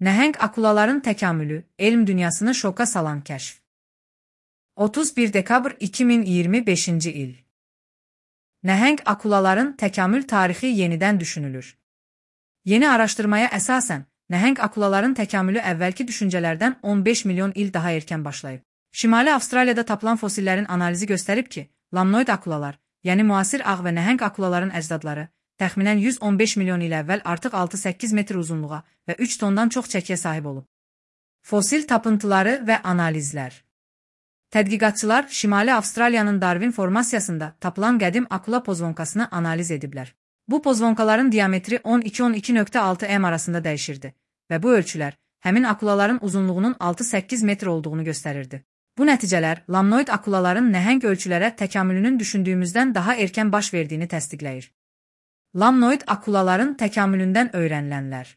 Nəhəng akulaların təkamülü, elm dünyasını şoka salan kəşf. 31 dekabr 2025-ci il. Nəhəng akulaların təkamül tarixi yenidən düşünülür. Yeni araşdırmaya əsasən, nəhəng akulaların təkamülü əvvəlki düşüncələrdən 15 milyon il daha erkən başlayıb. Şimali Avstraliyada tapılan fosillərin analizi göstərib ki, lamnoid akulalar, yəni müasir ağ və nəhəng akulaların əcdadları, təxminən 115 milyon il əvvəl artıq 6-8 metr uzunluğa və 3 tondan çox çəkiyə sahib olub. Fosil tapıntıları və analizlər. Tədqiqatçılar Şimali Avstraliyanın Darwin formasiyasında tapılan qədim akula pozvonkasını analiz ediblər. Bu pozvonkaların diametri 12-12.6 m arasında dəyişirdi və bu ölçülər həmin akulaların uzunluğunun 6-8 metr olduğunu göstərirdi. Bu nəticələr lamnoid akulaların nəhəng ölçülərə təkamülünün düşündüyümüzdən daha erkən baş verdiyini təsdiqləyir. Lamnoid akulaların təkamülündən öyrənilənlər.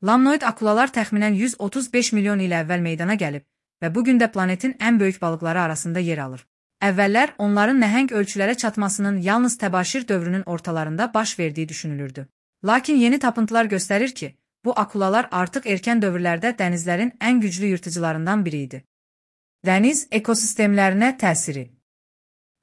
Lamnoid akulalar təxminən 135 milyon il əvvəl meydana gəlib və bugün də planetin ən böyük balıqları arasında yer alır. Əvvəllər onların nəhəng ölçülərə çatmasının yalnız təbaşir dövrünün ortalarında baş verdiyi düşünülürdü. Lakin yeni tapıntılar göstərir ki, bu akulalar artıq erkən dövrlərdə dənizlərin ən güclü yırtıcılarından biri idi. Dəniz ekosistemlərinə təsiri.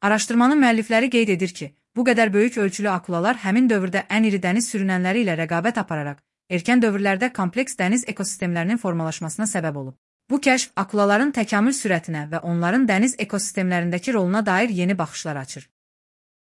Araşdırmanın müəllifləri qeyd edir ki, bu qədər böyük ölçülü akulalar həmin dövrdə ən iri dəniz sürünənləri ilə rəqabət apararaq, erkən dövrlərdə kompleks dəniz ekosistemlərinin formalaşmasına səbəb olub. Bu kəşf akulaların təkamül sürətinə və onların dəniz ekosistemlərindəki roluna dair yeni baxışlar açır.